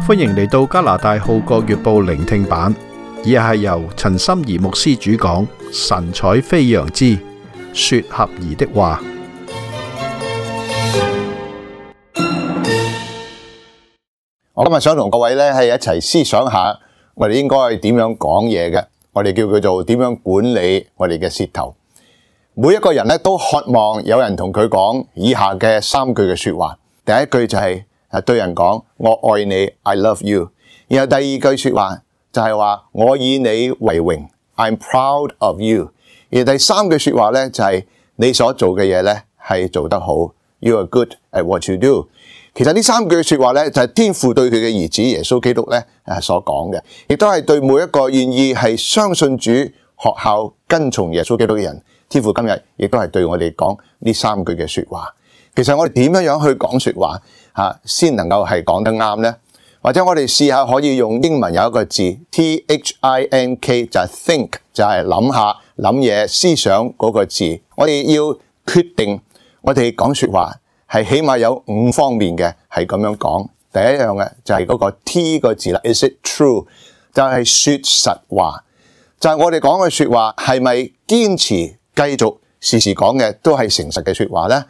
歡迎嚟到加拿大《號角月報》聆聽版，以下係由陳心怡牧師主講，神采飛揚之說合宜的話。我今日想同各位咧係一齊思想下，我哋應該點樣講嘢嘅。我哋叫佢做點樣管理我哋嘅舌頭。每一個人咧都渴望有人同佢講以下嘅3句嘅說話。第一句就係對人講我愛你 ，I love you。然後第二句說話就係話我以你為榮 ，I'm proud of you。而第3句說話咧就係你所做嘅嘢咧係做得好 ，You are good at what you do。其實呢3句說話咧就係天父對佢嘅兒子耶穌基督咧所講嘅，亦都係對每一個願意係相信主、學效跟從耶穌基督嘅人，天父今日亦都係對我哋講呢3句嘅說話。其實我哋點樣去講說話先能夠係講得啱呢？或者我哋試下可以用英文有一個字 THINK 就係 think， 就係諗下諗嘢思想嗰個字。我哋要決定我哋講說話係起碼有5方面嘅係咁樣講。第一樣嘅就係嗰個 T 個字啦 ，Is it true？ 就係說實話，就係我哋講嘅說話係咪堅持繼續時時講嘅都係誠實嘅說話呢？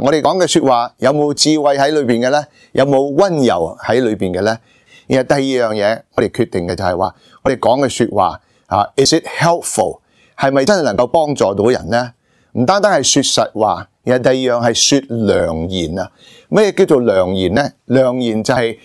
我哋講嘅說話有冇智慧喺裏邊嘅呢？有冇溫柔喺裏邊嘅呢？然後第二樣嘢我哋決定嘅就係話我哋講嘅說話，Is it helpful？ 係咪真係能夠幫助到人呢？唔單單係說實話，然後第二樣係說良言啊。咩叫做良言呢？良言就係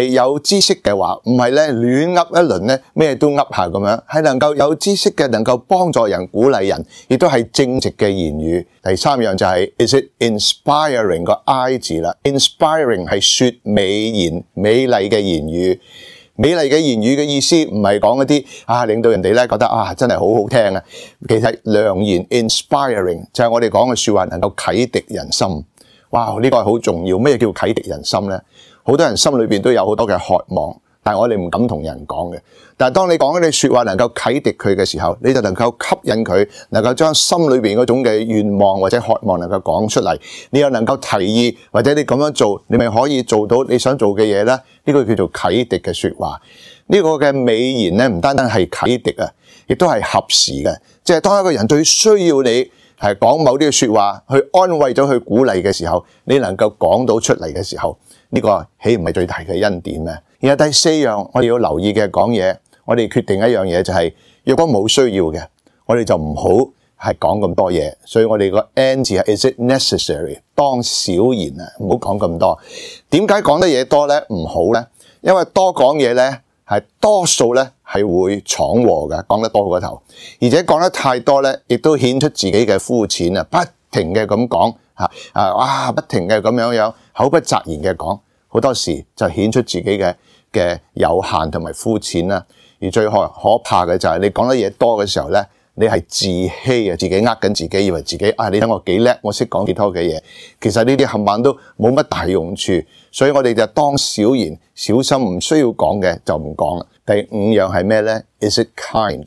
有知識嘅話，唔係咧亂噏一輪咧，咩都噏下咁樣，係能夠有知識嘅，能夠幫助人、鼓勵人，亦都係正直嘅言語。第3樣就係 Is it inspiring？ 個 I 字啦 ，inspiring 係說美言、美麗嘅言語。美麗嘅言語嘅意思唔係講一啲令到人哋咧覺得真係好好聽啊。其實良言 inspiring 就係我哋講嘅說話能夠啟迪人心。哇！呢個係好重要。咩叫啟迪人心呢？好多人心裏邊都有好多嘅渴望，但係我哋唔敢同人講嘅。但係當你講嗰啲說話能夠啟迪佢嘅時候，你就能夠吸引佢，能夠將心裏邊嗰種嘅願望或者渴望能夠講出嚟。你又能夠提議，或者你咁樣做，你咪可以做到你想做嘅嘢呢？呢個叫做啟迪嘅說話。呢個嘅美言呢，唔單單係啟迪啊，亦都係合時嘅。即係當一個人最需要你係講某啲嘅說話去安慰咗、去鼓勵嘅時候，你能夠講到出嚟嘅時候，呢個豈唔係最大嘅恩典咩？然後第4樣我哋要留意嘅講嘢，我哋決定一樣嘢就係，若果冇需要嘅，我哋就唔好係講咁多嘢。所以我哋個 N 字係 Is it necessary？ 當少言啊，唔好講咁多。點解講得嘢多咧唔好咧？因為多講嘢咧係多數咧係會闖禍嘅，講得多過頭，而且講得太多咧，亦都顯出自己嘅膚淺啊！不停嘅咁講不停嘅咁樣口不擇言嘅講，好多時就顯出自己嘅有限同埋膚淺啦。而最可怕嘅就係你講得嘢多嘅時候咧，你係自欺啊，自己呃緊自己，以為自己你睇我幾叻，我識講幾多嘅嘢。其實呢啲冚唪唥都冇乜大用處，所以我哋就當少言，小心唔需要講嘅就唔講啦。第5樣係咩呢？ Is it kind？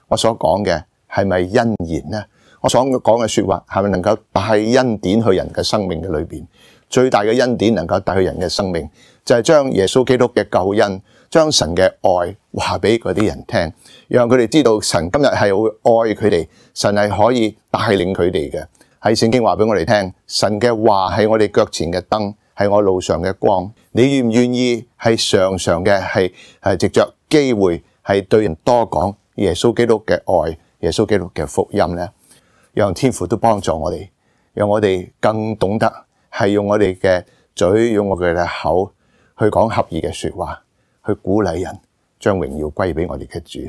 我所講嘅係咪恩言呢？我所講嘅說話係咪能夠帶恩典去人嘅生命嘅裏邊？最大嘅恩典能夠帶去人嘅生命，就係將耶穌基督嘅救恩，將神嘅愛話俾嗰啲人聽，讓佢哋知道神今日係會愛佢哋，神係可以帶領佢哋嘅。喺聖經話俾我哋聽，神嘅話係我哋腳前嘅燈，係我路上嘅光。你願唔願意係常常嘅係藉着機會係對人多講耶穌基督嘅愛，耶穌基督嘅福音呢？讓天父都幫助我哋，讓我哋更懂得係用我哋嘅嘴，用我哋嘅口去講合宜嘅說話，去鼓勵人，將榮耀歸俾我哋嘅主。